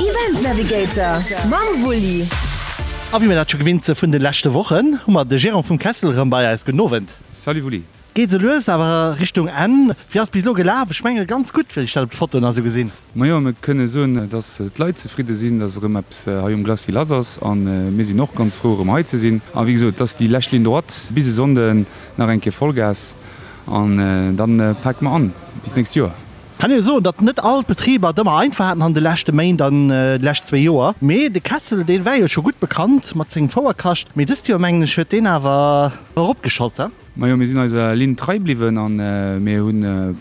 Event Navigator mam Wulli. A wéi mir dat scho gewinnt si vun de leschte Wochen, hu mer de Gérant vum Kessel erëm bei eis. Gudden Owend. Salut Wulli. Geet esou lues awer Richtung Enn. Wéi ass bis elo gelaf? Ech menge ganz gutt, wéi ech dat op de Fotoen a sou gesinn. Majo, mir kënne soen, dass d'Leit zefridde sinn, dass erëm eppes hei um Glacis lass ass. A mir sinn och ganz frou, erëm hei ze sinn. A wéi gesot, et ass déi lescht Ligne droite bis e Sonnden nach eng Kéier Vollgas an da pake mer an bis d'nächst Joer. Kann ee jo soen, datt net all d'Betriber et ëmmer einfach haten an de leschte Méint an déi lescht zwéi Joer. Mee de Kessel, dee war jo scho gutt bekannt mat sengem Fouerkascht. Mee dëst Joer, mengen ech, huet deen awer eropgeschoss, he? Majo, mir sinn eiser Linn trei bliwwen a mir hu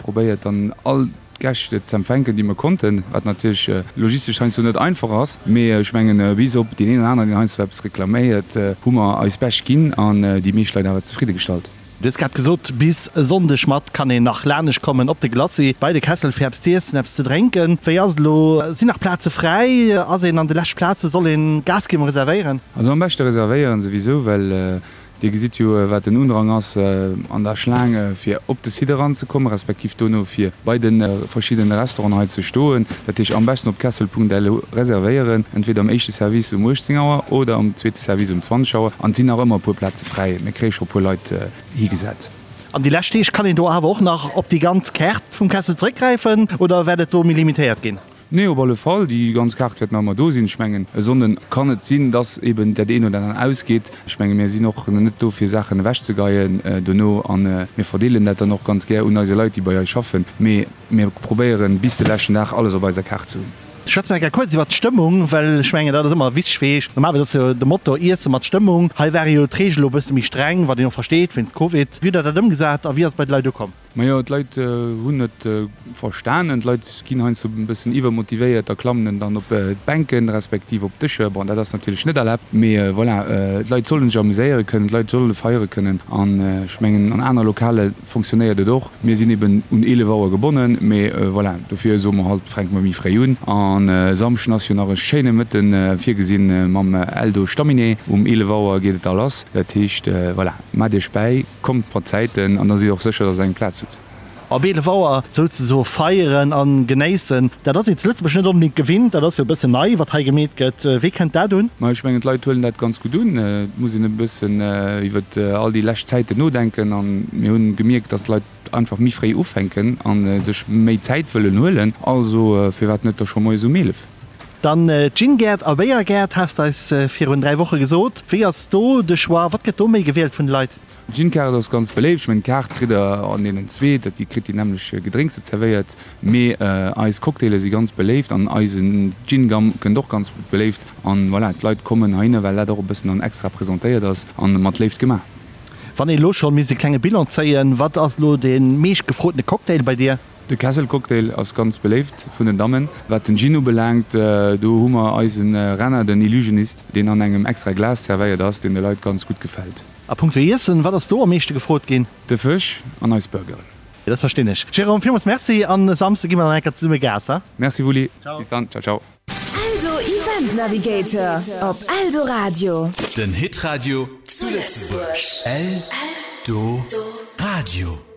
probéiert, dann all d'Gäscht ze empfänken, déi mir konnten, wat natierlech logistesch heiansdo net einfach ass. Mee ech mengen, bis op deen een oder aneren, deen heiansdo eppes reklaméiert, hu mer eis Bescht ginn an déi meescht Leit awer zefridde gestallt. Du hues grad gesot, bis e Sonndeg mat kann een nach lanescht kommen op de Glacis bei de Kessel fir eppes z'iessen, eppes ze drénken. Wéi ass et elo? Sinn nach Plaze fräi? Ass een an de leschte Plaze? Soll een Gas ginn, reservéieren? Also am beschte reservéieren souwisou, well Dir gesitt jo wat den Undrang ass an der Schlaang fir op de Site eranzekommen, respektiv dono fir bei de verschiddene Restauranten hei ze stoen. Dat heescht am beschten op kessel.lu reservéieren, entweder am éischte Service um 18 Auer oder am zweete Service um 20 Auer. An et sinn nach ëmmer e puer Plaze fräi, mir kréie scho e puer Leit higesat. An déi lescht Deeg kann een do awer och nach op déi ganz Kaart vum Kessel zeréckgräifen oder wäert et do méi limitéiert ginn? Nee, op alle Fall, déi ganz Kaart wäert nach ëmmer do sinn. Ech mengen, e Sonnden kann et sinn, dass eben dat een oder anert ausgeet. Ech menge mir sinn och net do fir Saachen ewechzegeien dono a mir verdeelen dat dann och ganz gär un eise Leit, déi bei eis schaffen. Mee mir probéieren bis de leschten Dag alles op eiser Kaart ze hunn. Schwätze mer eng Kéier kuerz iwwert d'Stëmmung, well ech mengen, dat ass ëmmer wichteg fir Eech. Normalerweis ass jo de Motto Iesse mat Stëmmung. Hei ware jo d'Reegele lo e bësse méi streng, wat een och versteet wéinst Covid. Wéi hutt Der dat ëmgesat a wéi ass et bei de Leit ukomm? Majo, d'Leit hunn et verstanen. D'Leit ginn heiansdo e bëssen iwwermotivéiert a klammen dann op d'Bänken, respektiv op d'Dëscher. Bon, dat ass natierlech net erlaabt, mee voilà, d'Leit solle sech amuséiere kënnen, d'Leit solle feiere kënnen. An ech mengen, an aner Lokale fonctionnéiert et och. Mir sinn eben un 11 Auer gebonnen, mee voilà, dofir soe mer halt, fänke mer méi fréi un. An e Samschden ass jo nach e schéine Mëtten virgesinn mam Eldo Stamminet. Um 11 Auer geet et da lass. Dat heescht, voilà, maacht iech bäi. Kommt mat Zäiten an da sidd och sécher, dass der eng Plaz hutt. Op 11 Auer souzesoe feieren a genéissen, dat ass een zu Lëtzebuerg net onbedéngt gewinnt. Dat ass jo e bëssen nei, wat hei gemeet gëtt. Wéi kënnt dat un? Ma ech mengen, d'Leit huelen dat ganz gutt un. Et muss een e bëssen iwwer all déi lescht Zäiten nodenken an mir hunn gemierkt, dass d'Leit einfach méi fréi ufänken a sech méi Zäit wëllen huelen. Also firwat net da scho moies um 11? Dann Gin-Gäert a Béier-Gäert, has de eis virun 3 Woche gesot. Wéi ass do de Choix? Wat gëtt do méi gewielt vun de Leit? D'Gin-Kaart ass ganz beléift. Ech mengen, d'Kaart kritt der an deenen zwee, dat dir kritt déi nämmlech Gedrénkse zerwéiert. Mee eis Cocktaile si ganz beléift an eisen Gin-Gum kënnt och ganz beléift. An voilà, d'Leit kommen heihinner, well dat och e bëssen dann extra presentéiert ass an mat Léift gemaach. Wann ee lo scho misst e klenge Bilan zéien, wat ass lo dee meescht gefrotene Cocktail bei dir? De Kesselcocktail ass ganz beléift vun den Dammen. Wat den Gin ubelaangt, do hu mer eisen Renner, den Illusionist, deen an engem extra Glas zerwéiert ass, deen de Leit ganz gutt gefält. A punkto Iessen, wat ass do am meeschte gefrot ginn? De Fësch an eis Burgeren. Dat verstinn ech. Jérôme, villmools Merci an e Samsde gi mer dann eng Kéier zesumme Gas, he? Merci Wulli, bis dann, ciao ciao. Eldo Event Navigator op Eldoradio. Den Hitradio zu Lëtzebuerg. Eldoradio.